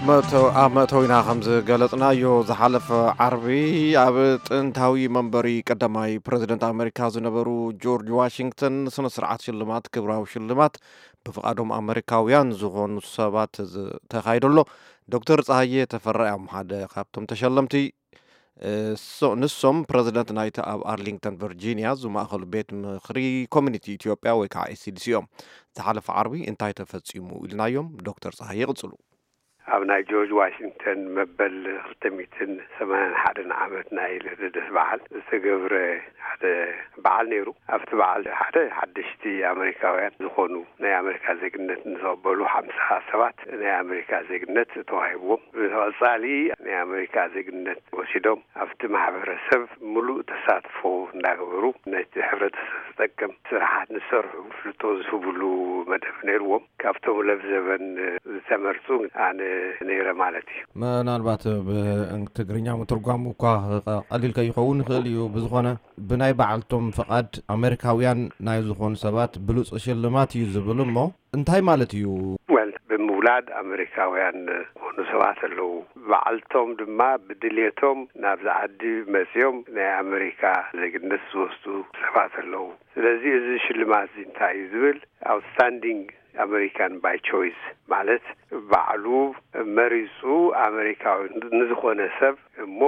ኣብ መእተዊና ከም ዝገለጽናዮ፣ ዝሓለፈ ዓርቢ ኣብ ጥንታዊ መንበሪ ቀዳማይ ፕረዚደንት ኣመሪካ ዝነበሩ ጆርጅ ዋሽንግተን ስነ ስርዓት ሽልማት፣ ክብራዊ ሽልማት ብፍቓዶም ኣመሪካውያን ዝኾኑ ሰባት ተኻይዱ ኣሎ። ዶክተር ጸሃየ ተፈራ እዮም ሓደ ካብቶም ተሸለምቲ። ንሶም ፕረዚደንት ናይቲ ኣብ ኣርሊንግተን ቨርጂንያ ዝማእኸሉ ቤት ምኽሪ ኮሚኒቲ ኢትዮጵያ ወይ ከዓ ኤስሲዲሲ እዮም። ዝሓለፈ ዓርቢ እንታይ ተፈጺሙ ኢልናዮም። ዶክተር ጸሃየ ይቕጽሉ። ኣብ ናይ ጆርጅ ዋሽንግተን መበል ክልተ ሚእትን ሰማንያን ሓደን ዓመት ናይ ልደት በዓል ዝተገብረ ሓደ በዓል ነይሩ። ኣብቲ በዓል ሓደ ሓደሽቲ ኣመሪካውያን ዝኾኑ ናይ ኣመሪካ ዜግነት ንዝቕበሉ ሓምሳ ሰባት ናይ ኣመሪካ ዜግነት ተዋሂብዎም። ብተቐጻሊ ናይ ኣመሪካ ዜግነት ወሲዶም ኣብቲ ማሕበረሰብ ምሉእ ተሳትፎ እንዳገበሩ ነቲ ሕብረተሰብ ዝጠቅም ስራሓት ንሰርሑ ፍልጦ ዝህብሉ መደብ ነይርዎም። ካብቶም ለብዘበን ዝተመርጹ ኣነ ነይረ ማለት እዩ። ምናልባት ብትግርኛ ምትርጓሙ እኳ ቀሊል ከይኸውን ይኽእል እዩ። ብዝኾነ ብናይ ባዕልቶም ፍቓድ ኣመሪካውያን ናይ ዝኾኑ ሰባት ብሉጽ ሽልማት እዩ ዝብል እሞ እንታይ ማለት እዩ? ወል ብምውላድ ኣመሪካውያን ዝኾኑ ሰባት ኣለዉ። ባዕልቶም ድማ ብድልየቶም ናብዚ ዓዲ መጺኦም ናይ ኣመሪካ ዜግነት ዝወስዱ ሰባት ኣለዉ። ስለዚ እዚ ሽልማት እዚ እንታይ እዩ ዝብል ኣውትስታንዲንግ ኣመሪካን ባይ ቾይስ ማለት ባዕሉ መሪጹ ኣመሪካዊ ንዝኾነ ሰብ እሞ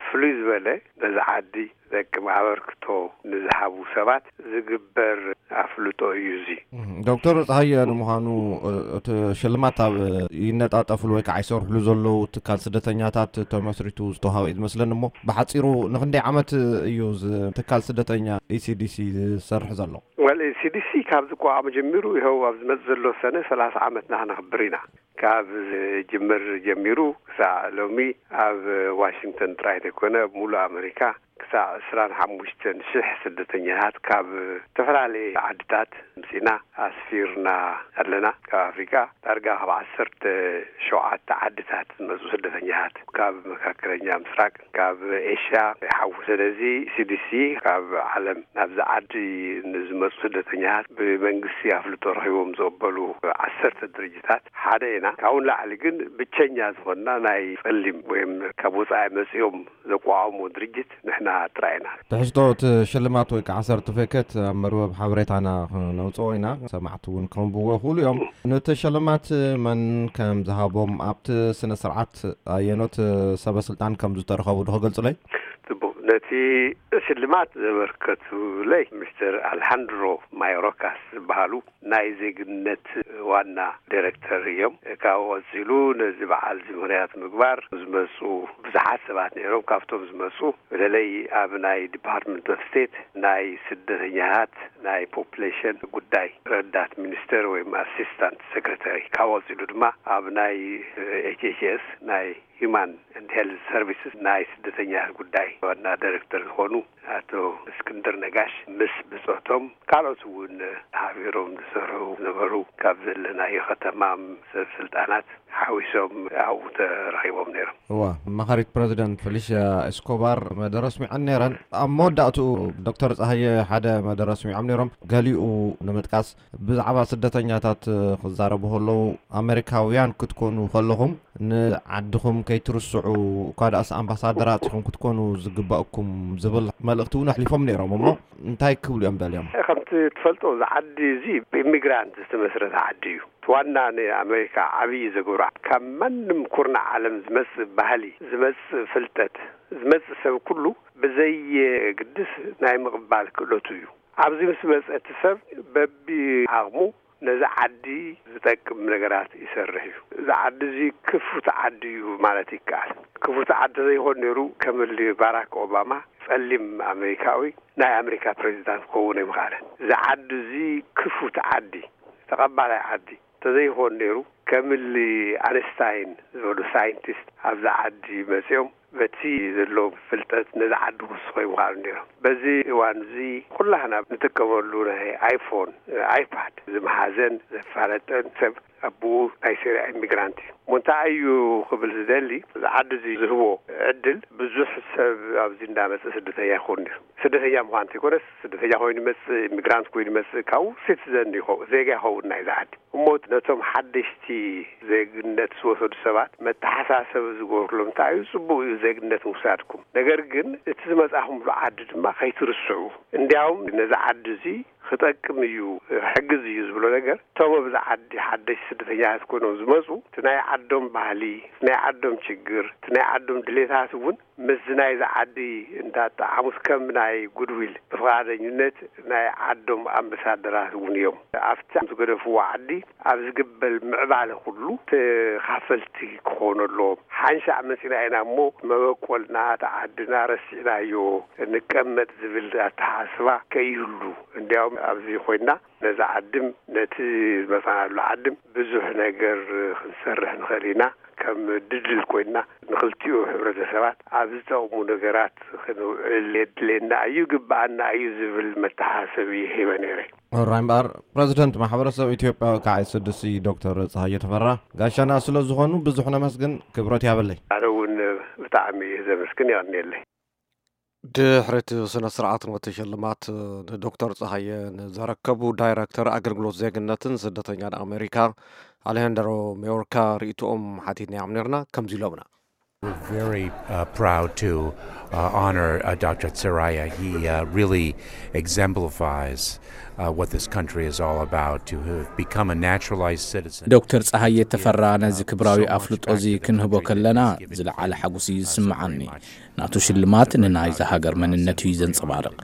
ፍሉይ ዝበለ ነዚ ዓዲ ዝጠቅም ኣበርክቶ ንዝሃቡ ሰባት ዝግበር ኣፍልጦ እዩ እዚ። ዶክተር ጸሃየ ንምዃኑ እቲ ሽልማት ኣብ ይነጣጠፍሉ ወይ ከዓ ይሰርሕሉ ዘለዉ ትካል ስደተኛታት ተመስሪቱ ዝተዋሃበ እዩ ዝመስለኒ እሞ ብሓፂሩ ንክንደይ ዓመት እዩ ትካል ስደተኛ ኢሲዲሲ ዝሰርሕ ዘሎ? ወል ኢሲዲሲ ካብ ዝቋቋም ጀሚሩ ይኸው ኣብ ዝመፅ ዘሎ ሰነ ሰላሳ ዓመትና ክነኽብር ኢና። ካብ ዝጅምር ጀሚሩ ክሳዕ ሎሚ ኣብ ዋሽንግተን ጥራይ ዘይኮነ ኣብ ሙሉእ ኣመሪካ ክሳዕ ዕስራን ሓሙሽተን ሽሕ ስደተኛታት ካብ ዝተፈላለየ ዓድታት ምፂና ኣስፊርና ኣለና። ካብ ኣፍሪቃ ዳርጋ ካብ ዓሰርተ ሸውዓተ ዓድታት ዝመፁ ስደተኛታት ካብ መካከለኛ ምስራቅ ካብ ኤሽያ ይሓውስ። ስለዚ ሲዲሲ ካብ ዓለም ናብዚ ዓዲ ንዝመፁ ስደተኛታት ብመንግስቲ ኣፍልጦ ረኪቦም ዝቕበሉ ዓሰርተ ድርጅታት ሓደ ኢና። ካብኡ ንላዕሊ ግን ብቸኛ ዝኾንና ናይ ጸሊም ወይም ካብ ወጻኢ መጺኦም ዘቋቋሙ ድርጅት ንሕና ጥራይ ኢና። ትሕዝቶ እቲ ሽልማት ወይ ከዓ ሰርቲፊኬት ኣብ መርበብ ሓበሬታና ክነውፅኦ ኢና። ሰማዕቲ እውን ከንብዎ ይኽእሉ እዮም። ነቲ ሽልማት መን ከም ዝሃቦም ኣብቲ ስነ ስርዓት ኣየኖት ሰበ ስልጣን ከም ዝተረኸቡ ዶ ክገልፁለይ? ጽቡቕ። ነቲ ሽልማት ዘበርከቱለይ ሚስተር ኣልሃንድሮ ማዮሮካስ ዝበሃሉ ናይ ዜግነት ዋና ዳይሬክተር እዮም። ካብኡ ቀጺሉ ነዚ በዓል እዚ ምኽንያት ምግባር ዝመጹ ብዙሓት ሰባት ነይሮም። ካብቶም ዝመጹ በተለይ ኣብ ናይ ዲፓርትመንት ኦፍ ስቴት ናይ ስደተኛታት ናይ ፖፕሌሽን ጉዳይ ረዳት ሚኒስተር ወይም ኣሲስታንት ሴክሬታሪ፣ ካብኡ ቀጺሉ ድማ ኣብ ናይ ኤች ኤች ኤስ ናይ ሂማን ኤንድ ሄልዝ ሰርቪስስ ናይ ስደተኛታት ጉዳይ ዋና ዳይሬክተር ዝኾኑ ኣቶ እስክንድር ነጋሽ ምስ ብጾቶም ካልኦት እውን ሓቢሮም ዝሰርሑ ነበሩ። ካብ ዘለናዮ ከተማ ሰብ ስልጣናት ሓዊሶም ኣብኡ ተረኺቦም ነይሮም። እዋ፣ ኣማኻሪት ፕረዚደንት ፌሊሽያ ኤስኮባር መደረ ኣስሚዐን ነይረን። ኣብ መወዳእትኡ ዶክተር ጸሃየ ሓደ መደረ ኣስሚዖም ነይሮም። ገሊኡ ንምጥቃስ፣ ብዛዕባ ስደተኛታት ክዛረቡ ከለዉ፣ ኣመሪካውያን ክትኮኑ ከለኹም ንዓድኹም ከይትርስዑ፣ እኳ ደኣስ ኣምባሳደራት ኢኹም ክትኮኑ ዝግባእኩም ዝብል መልእኽቲ እውን ኣሕሊፎም ነይሮም። እሞ እንታይ ክብሉ እዮም ደልዮም? ከምቲ ትፈልጦ፣ እዚ ዓዲ እዚ ብኢሚግራንት ዝተመስረተ ዓዲ እዩ። እቲ ዋና ንኣመሪካ ዓብዪ ዘገብሮ፣ ካብ ማንም ኩርናዕ ዓለም ዝመጽእ ባህሊ፣ ዝመጽእ ፍልጠት፣ ዝመጽእ ሰብ ኩሉ ብዘየግድስ ናይ ምቕባል ክእለቱ እዩ። ኣብዚ ምስ መጸ እቲ ሰብ በቢዓቕሙ ነዚ ዓዲ ዝጠቅም ነገራት ይሰርሕ እዩ። እዚ ዓዲ እዚ ክፉት ዓዲ እዩ ማለት ይከኣል። ክፉት ዓዲ ዘይኮን ነይሩ፣ ከም እሊ ባራክ ኦባማ ጸሊም ኣመሪካዊ ናይ ኣመሪካ ፕሬዚዳንት ክኸውን ኣይምኽኣለን። እዚ ዓዲ እዚ ክፉት ዓዲ፣ ተቐባላይ ዓዲ እንተዘይኮን ነይሩ፣ ከም እሊ ኣንስታይን ዝበሉ ሳይንቲስት ኣብዚ ዓዲ መጺኦም በቲ ዘለዎም ፍልጠት ነዚ ዓዲ ክውስኹ ይምኽኣሉ ነይሮም። በዚ እዋን እዚ ኩላህና ንጥቀመሉ ናይ ኣይፎን፣ ኣይፓድ ዝመሓዘን ዘፋለጠን ሰብ ኣቦኡ ናይ ሲርያ ኢሚግራንት እዩ። እሞ እንታይ እዩ ክብል ዝደሊ፣ እዚ ዓዲ እዚ ዝህቦ ዕድል፣ ብዙሕ ሰብ ኣብዚ እንዳመፀ ስደተኛ ይኸውን እዩ። ስደተኛ ምዃን እንተይኮነስ፣ ስደተኛ ኮይኑ ይመፅእ፣ ኢሚግራንት ኮይኑ ይመፅእ፣ ካብኡ ሲቲዘን ይኸውን፣ ዜጋ ይኸውን ናይዚ ዓዲ። እሞ ነቶም ሓደሽቲ ዜግነት ዝወሰዱ ሰባት መተሓሳሰቢ ዝገብርሎም እንታይ እዩ? ጽቡቕ እዩ ዜግነት ምውሳድኩም። ነገር ግን እቲ ዝመጻኹምሉ ዓዲ ድማ ከይትርስዑ። እንዲያውም ነዚ ዓዲ እዚ ክጠቅም እዩ፣ ክሕግዝ እዩ ዝብሎ ነገር፣ እቶም ኣብዚ ዓዲ ሓደሽቲ ስደተኛታት ኮይኖም ዝመጹ፣ እቲ ናይ ዓዶም ባህሊ፣ እቲ ናይ ዓዶም ችግር፣ እቲ ናይ ዓዶም ድሌታት እውን ምስዚ ናይዚ ዓዲ እንዳጠዓሙስ ከም ናይ ጉድዊል ብፍቓደኝነት ናይ ዓዶም ኣምባሳደራት እውን እዮም። ኣብቲ ዝገደፍዎ ዓዲ ኣብ ዝግበር ምዕባለ ኩሉ ተኻፈልቲ ክኾኑ ኣለዎም። ሓንሻዕ መፂና ኢና እሞ መበቆልና፣ እቲ ዓድና ረሲዕናዮ ንቀመጥ ዝብል ኣተሓሳስባ ከይህሉ፣ እንዲያውም ኣብዚ ኮይና ነዚ ዓድም ነቲ ዝመፃናሉ ዓድም ብዙሕ ነገር ክንሰርሕ ንኽእል ኢና። ከም ድልድል ኮይና ንኽልቲኡ ሕብረተሰባት ኣብ ዝጠቕሙ ነገራት ክንውዕል የድልየና እዩ፣ ይግብኣና እዩ ዝብል መተሓሳሰቢ ሂበ ነይረ። ሕራይ እምበኣር፣ ፕረዚደንት ማሕበረሰብ ኢትዮጵያዊ ከዓይ ስድሲ ዶክተር ፀሃየ ተፈራ ጋሻና ስለ ዝኾኑ ብዙሕ ነመስግን፣ ክብረት ያበለይ። ኣነ እውን ብጣዕሚ እየ ዘመስግን፣ የቐንየለይ። ድሕሪ እቲ ስነ ስርዓት ነቲ ሽልማት ንዶክተር ፀሃየ ንዘረከቡ ዳይረክተር ኣገልግሎት ዜግነትን ስደተኛን ኣሜሪካ ኣሌሃንድሮ ሜዮርካ ርእይቶኦም ሓቲትናዮም ነርና። ከምዚ ኢሎምና። We're very uh, proud to uh, honor uh, Doctor Tsiraya. He uh, really exemplifies uh, what this country is all about, to have become a naturalized citizen. ዶክተር ፀሃየ ተፈራ ነዚ ክብራዊ ኣፍልጦ እዚ ክንህቦ ከለና ዝለዓለ ሓጉስ እዩ ዝስምዓኒ። ናቱ ሽልማት ንናይዛ ሃገር መንነት እዩ ዘንጸባርቕ።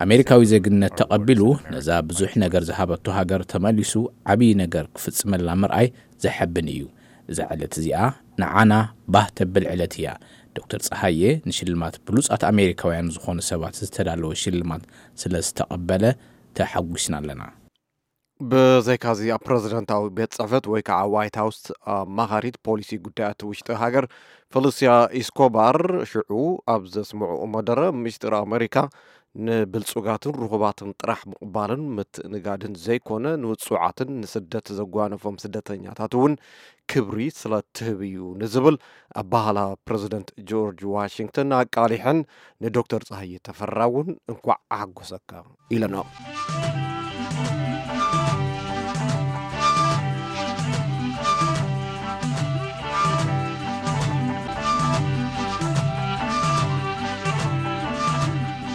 ኣሜሪካዊ ዜግነት ተቐቢሉ ነዛ ብዙሕ ነገር ዝሃበቶ ሃገር ተመሊሱ ዓብዪ ነገር ክፍጽመላ ምርኣይ ዘሐብን እዩ። እዛ ዕለት እዚኣ ንዓና ባህ ተብል ዕለት እያ። ዶክተር ፀሃየ ንሽልማት ብሉጻት ኣሜሪካውያን ዝኾኑ ሰባት ዝተዳለወ ሽልማት ስለ ዝተቐበለ ተሓጒስና ኣለና። ብዘይካዚ ኣብ ፕረዚደንታዊ ቤት ጽሕፈት ወይ ከዓ ዋይት ሃውስ ኣማኻሪት ፖሊሲ ጉዳያት ውሽጢ ሃገር ፌሊሲያ ኢስኮባር ሽዑ ኣብ ዘስምዕኦ መደረ ምስጢር ኣሜሪካ ንብልጹጋትን ርኹባትን ጥራሕ ምቕባልን ምትእንጋድን ዘይኮነ ንውጹዓትን ንስደት ዘጓነፎም ስደተኛታት እውን ክብሪ ስለ ትህብ እዩ ንዝብል ኣባህላ ፕረዚደንት ጆርጅ ዋሽንግተን ኣቃሊሐን ንዶክተር ፀሃየ ተፈራ እውን እንኳዕ ኣሓጎሰካ ኢለንኦ።